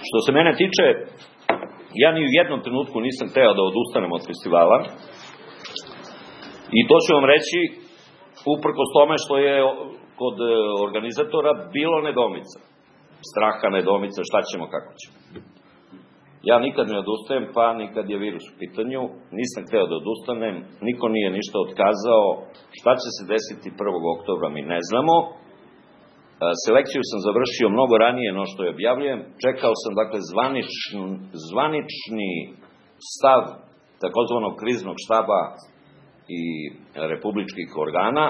Što se mene tiče, ja ni u jednom trenutku nisam hteo da odustanem od festivala i to ću vam reći uprkos tome što je kod organizatora bilo nedoumica, straha, nedoumica, šta ćemo, kako ćemo. Ja nikad ne odustajem, pa nikad je virus u pitanju, nisam hteo da odustanem, niko nije ništa otkazao, šta će se desiti 1. oktobra mi ne znamo. Selekciju sam završio mnogo ranije no što je objavljujem, čekao sam dakle zvanični stav takozvanog kriznog štaba i republičkih organa.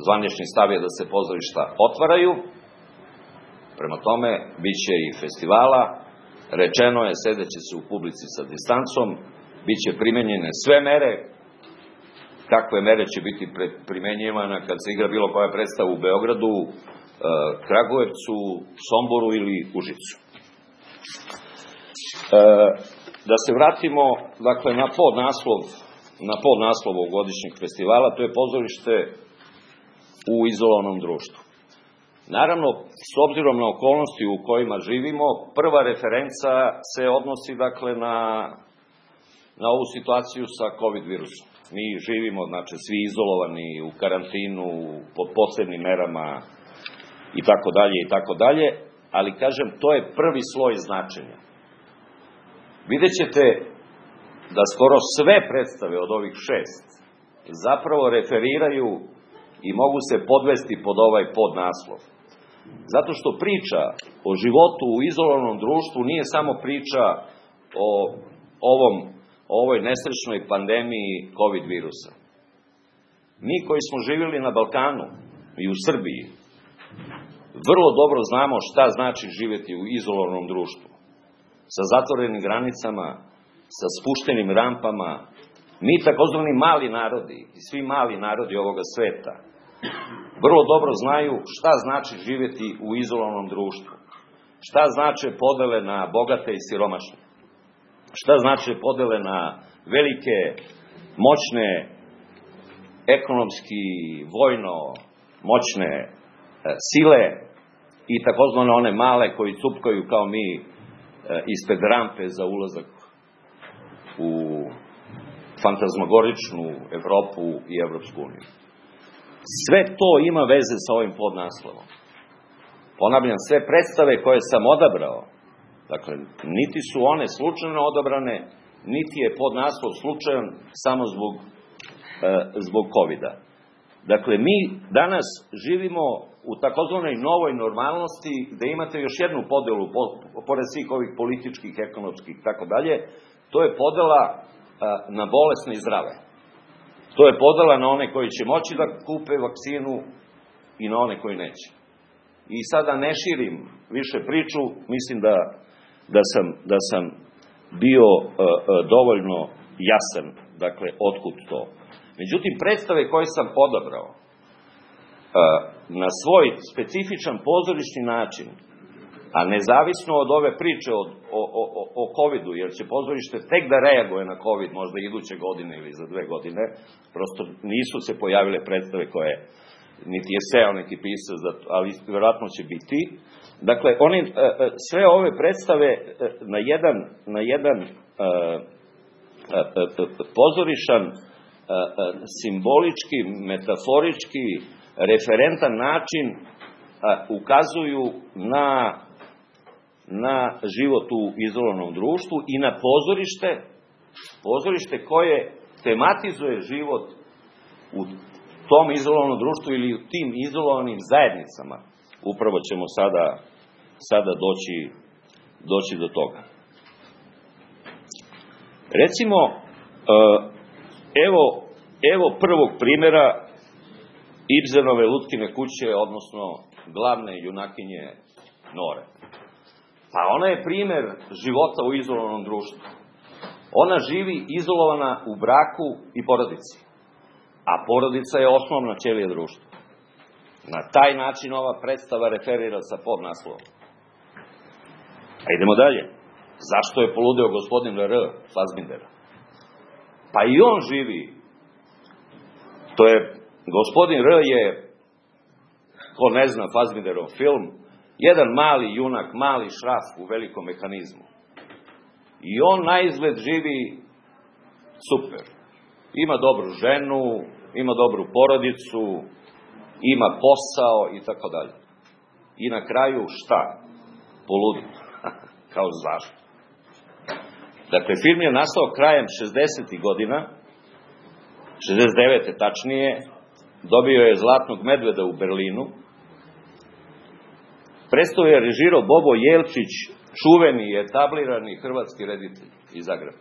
Zvanični stav je da se pozorišta otvaraju, prema tome bit će i festivala, rečeno je sedeće se u publici sa distancom, bit će primenjene sve mere, kakve mere će biti primenjivane kad se igra bilo koja predstava u Beogradu, Kragujevcu, Somboru ili Užicu. Da se vratimo, dakle, na podnaslov ovogodišnjeg festivala, to je pozorište u izolovanom društvu. Naravno, s obzirom na okolnosti u kojima živimo, prva referenca se odnosi, dakle, na ovu situaciju sa COVID virusom. Mi živimo, znači, svi izolovani u karantinu, pod posebnim merama, i tako dalje, ali kažem, to je prvi sloj značenja. Vidjet ćete da skoro sve predstave od ovih 6 zapravo referiraju i mogu se podvesti pod ovaj podnaslov. Zato što priča o životu u izolovanom društvu nije samo priča o ovoj nesrećnoj pandemiji COVID virusa. Mi koji smo živjeli na Balkanu i u Srbiji, vrlo dobro znamo šta znači živjeti u izolovanom društvu. Sa zatvorenim granicama, sa spuštenim rampama. Mi takozvani mali narodi i svi mali narodi ovoga sveta vrlo dobro znaju šta znači živjeti u izolovanom društvu. Šta znače podele na bogate i siromašne. Šta znače podele na velike, moćne, ekonomski, vojno moćne sile i takozvane one male koji cupkaju kao mi ispred rampe za ulazak u fantazmagoričnu Evropu i Evropsku uniju. Sve to ima veze sa ovim podnaslovom. Ponavljam, sve predstave koje sam odabrao, dakle, niti su one slučajno odabrane, niti je podnaslov slučajan samo zbog COVID-a. Dakle, mi danas živimo u takozvanoj novoj normalnosti, gde imate još jednu podelu, pored svih ovih političkih, ekonomskih i tako dalje, to je podela na bolesne i zdrave. To je podela na one koji će moći da kupe vakcinu i na one koji neće. I sada ne širim više priču, mislim da sam bio dovoljno jasan, dakle, otkud to. Međutim, predstave koje sam odabrao na svoj specifičan pozorišni način, a nezavisno od ove priče o COVID-u, jer će pozorište tek da reaguje na COVID možda iduće godine ili za 2 godine, prosto nisu se pojavile predstave koje, niti je seo neki pisac, ali vjerojatno će biti. Dakle, sve ove predstave na jedan pozorišan, simbolički, metaforički, referentan način ukazuju na život u izolovanom društvu i na pozorište koje tematizuje život u tom izolovanom društvu ili u tim izolovanim zajednicama. Upravo ćemo sada doći do toga. Recimo, evo prvog primjera Ibsenove Lutkine kuće, odnosno glavne junakinje Nore. Pa ona je primjer života u izolovanom društvu. Ona živi izolovana u braku i porodici. A porodica je osnovna ćelija društva. Na taj način ova predstava referira sa podnaslovom. A idemo dalje. Zašto je poludeo gospodin R. Fassbinder? Pa i on živi. Gospodin R. je, ko ne zna Fassbinderov film, jedan mali junak, mali šraf u velikom mehanizmu. I on na izgled živi super. Ima dobru ženu, ima dobru porodicu, ima posao i tako dalje. I na kraju šta? Poludi. Kao zašto? Dakle, film je nastao krajem 60. godina, 69. tačnije, dobio je Zlatnog medveda u Berlinu. Predstavu je režirao Bobo Jelčić, čuveni i etablirani hrvatski reditelj iz Zagreba.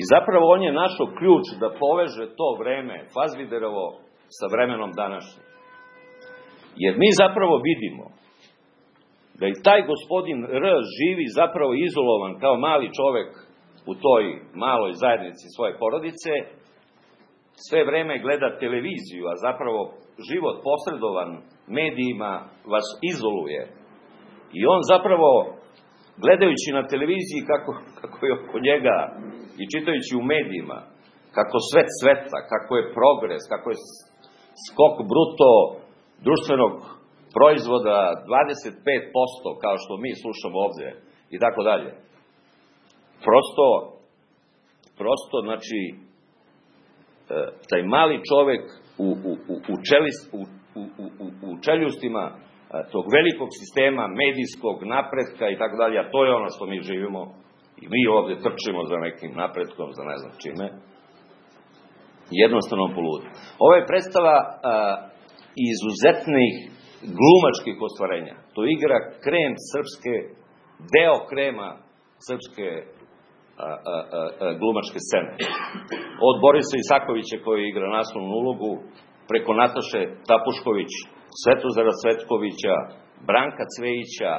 I zapravo on je našao ključ da poveže to vreme Fazbiderovo sa vremenom današnjim. Jer mi zapravo vidimo da i taj gospodin R živi zapravo izolovan kao mali čovek u toj maloj zajednici svoje porodice, sve vreme gleda televiziju, a zapravo život posredovan medijima vas izoluje. I on zapravo, gledajući na televiziji kako je oko njega i čitajući u medijima, kako svet cveta, kako je progres, kako je skok bruto društvenog proizvoda 25%, kao što mi slušamo ovde, i tako dalje. Prosto, znači, taj mali čovek u čeljustima tog velikog sistema, medijskog napretka i tako dalje, a to je ono što mi živimo i mi ovde trčimo za nekim napretkom, za ne znam čime, jednostavno poludi. Ovo je predstava izuzetnih glumačkih ostvarenja. To igra krem srpske, deo krema srpske glumačke scene. Od Borisa Isakovića koji igra naslovnu ulogu, preko Nataše Tapušković, Svetozara Cvetkovića, Branka Cvejića,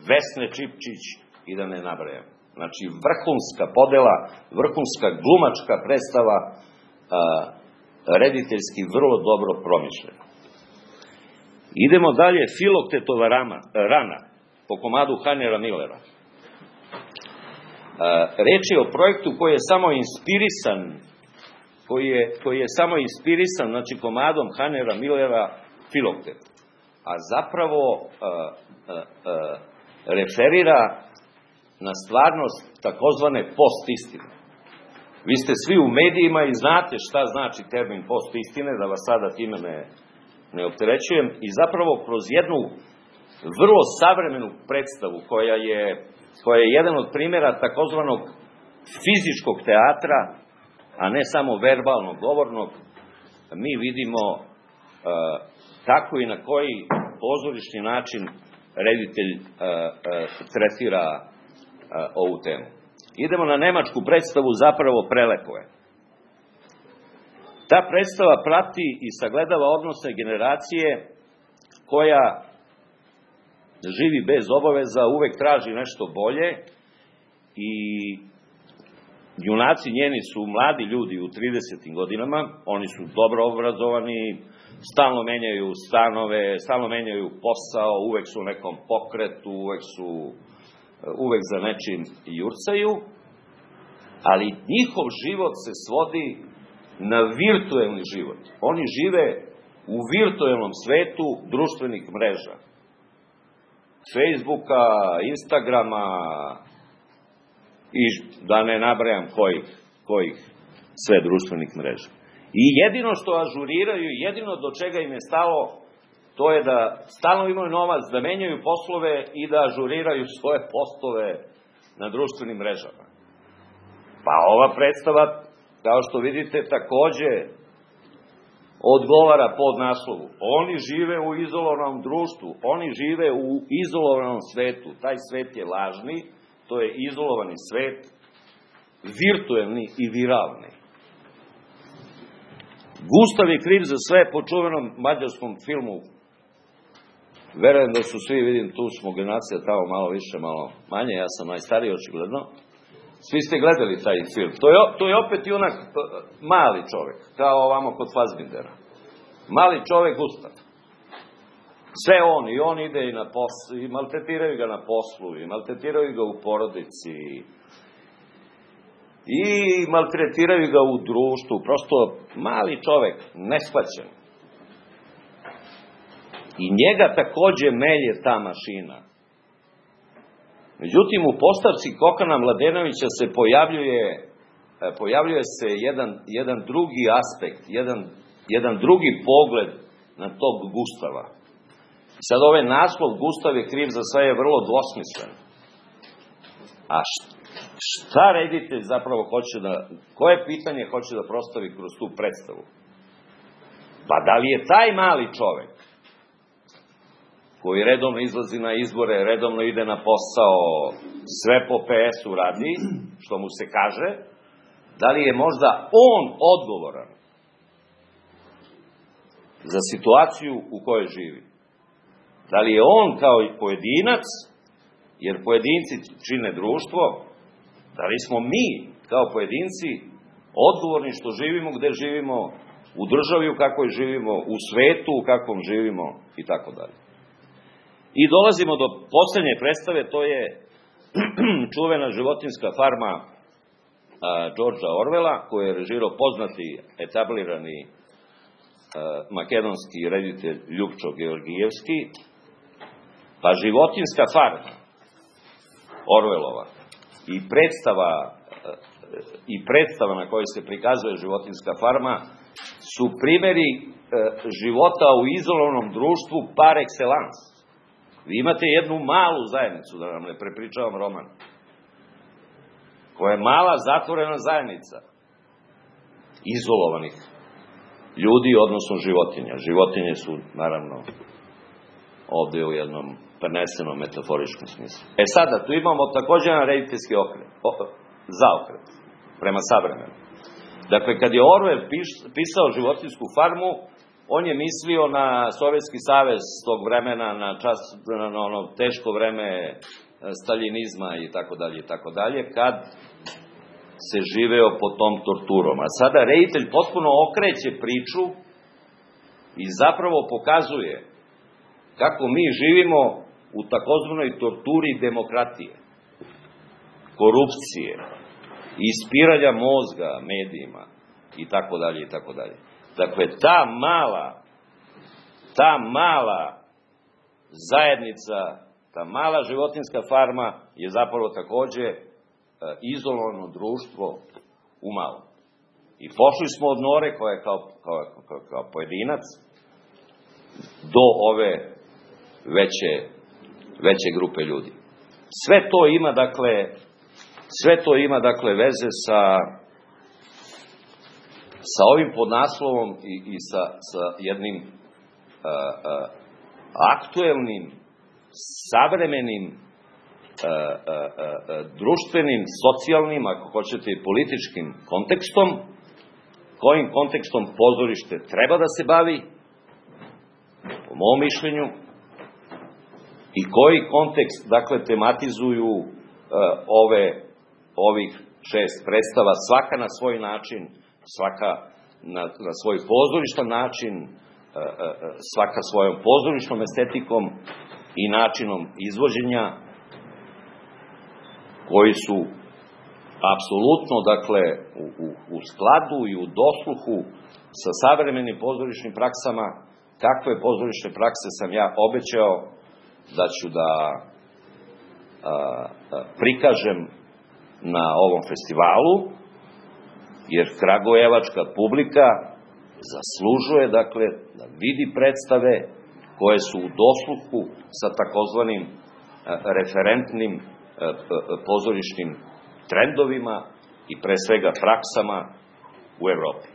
Vesne Čipčić i da ne nabrajam. Znači, vrhunska podela, vrhunska glumačka predstava, rediteljski vrlo dobro promišljena. Idemo dalje, Filoktetova rana, po komadu Hanera Millera. Reč je o projektu koji je samo inspirisan, znači komadom Hanera Millera Filoktet. A zapravo referira na stvarnost takozvane post-istine. Vi ste svi u medijima i znate šta znači termin post-istine, da vas sada time ne opterećujem, i zapravo kroz jednu vrlo savremenu predstavu koja je jedan od primjera takozvanog fizičkog teatra, a ne samo verbalnog, govornog, mi vidimo kako i na koji pozorišni način reditelj tretira ovu temu. Idemo na nemačku predstavu, zapravo Prelepo je. Ta predstava prati i sagledava odnose generacije koja živi bez obaveza, uvek traži nešto bolje i junaci njeni su mladi ljudi u 30. godinama, oni su dobro obrazovani, stalno menjaju stanove, stalno menjaju posao, uvek su u nekom pokretu, uvek za nečim jurcaju, ali njihov život se svodi na virtuelni život. Oni žive u virtuelnom svetu društvenih mreža. Facebooka, Instagrama i da ne nabrajam kojih sve društvenih mreža. I jedino što ažuriraju, jedino do čega im je stalo, to je da stalno imaju novac, da menjaju poslove i da ažuriraju svoje postove na društvenim mrežama. Pa ova predstava, kao što vidite, takođe odgovara pod naslovu. Oni žive u izolovanom društvu, oni žive u izolovanom svetu. Taj svet je lažni, to je izolovani svet, virtuelni i viralni. Gustav je kriv za sve, po čuvenom mađarskom filmu. Verujem da su svi, vidim, tu smo generacija, tamo malo više, malo manje, ja sam najstariji očigledno. Svi ste gledali taj film. To je opet junak mali čovek, kao ovamo kod Fazbindera. Mali čovek Gustav. Sve on, i on ide i na poslu, i maltretiraju ga na poslu, i maltretiraju ga u porodici, i maltretiraju ga u društvu. Prosto mali čovek, neshvaćen. I njega takođe melje ta mašina. Međutim, u postavci Kokana Mladenovića se pojavljuje se jedan drugi aspekt, jedan drugi pogled na tog Gustava. Sad ovaj naslov Gustav je kriv za sve je vrlo dvosmislen. A šta reditelj zapravo hoće koje pitanje hoće da prostavi kroz tu predstavu? Pa da li je taj mali čovek koji redovno izlazi na izbore, redovno ide na posao, sve po PS-u radi, što mu se kaže, da li je možda on odgovoran za situaciju u kojoj živi? Da li je on kao i pojedinac, jer pojedinci čine društvo, da li smo mi kao pojedinci odgovorni što živimo, gde živimo, u državi u kakvoj živimo, u svetu u kakvom živimo i tako dalje. I dolazimo do poslednje predstave, to je čuvena životinjska farma Georgea Orwella, koju je režirao poznati, etablirani makedonski reditelj Ljupčo Georgijevski. Pa životinjska farma Orwellova i predstava na kojoj se prikazuje životinjska farma su primeri života u izolovanom društvu par excellence. Vi imate jednu malu zajednicu, da vam ne prepričavam roman, koja je mala zatvorena zajednica izolovanih ljudi, odnosno životinja. Životinje su, naravno, ovde u jednom prenesenom metaforičkom smislu. Sada, tu imamo takođe jedan rediteljski zaokret prema savremenu. Dakle, kad je Orwell pisao životinjsku farmu, on je mislio na Sovjetski savez tog vremena, na ono teško vreme staljinizma i tako dalje, kad se živeo pod tom torturom. A sada reditelj potpuno okreće priču i zapravo pokazuje kako mi živimo u takozvanoj torturi demokratije, korupcije, ispiranja mozga medijima i tako dalje i tako dalje. Dakle, ta mala zajednica, ta mala životinjska farma je zapravo takođe izolovano društvo u malom. I pošli smo od Nore, koja je kao pojedinac, do ove veće grupe ljudi. Sve to ima, dakle, veze sa ovim podnaslovom i sa jednim aktuelnim, savremenim, društvenim, socijalnim, ako hoćete i političkim kontekstom, kojim kontekstom pozorište treba da se bavi, po mom mišljenju, i koji kontekst, dakle, tematizuju ovih 6 predstava, svaka na svoj način, svaka na svoj pozorištan način, svaka svojom pozorišnom estetikom i načinom izvođenja, koji su apsolutno, dakle, u skladu i u dosluhu sa savremenim pozorišnim praksama. Kakve pozorišne prakse sam ja obećao da ću da prikažem na ovom festivalu, jer kragujevačka publika zaslužuje, dakle, da vidi predstave koje su u dosluhu sa takozvanim referentnim pozorišnim trendovima i pre svega praksama u Evropi.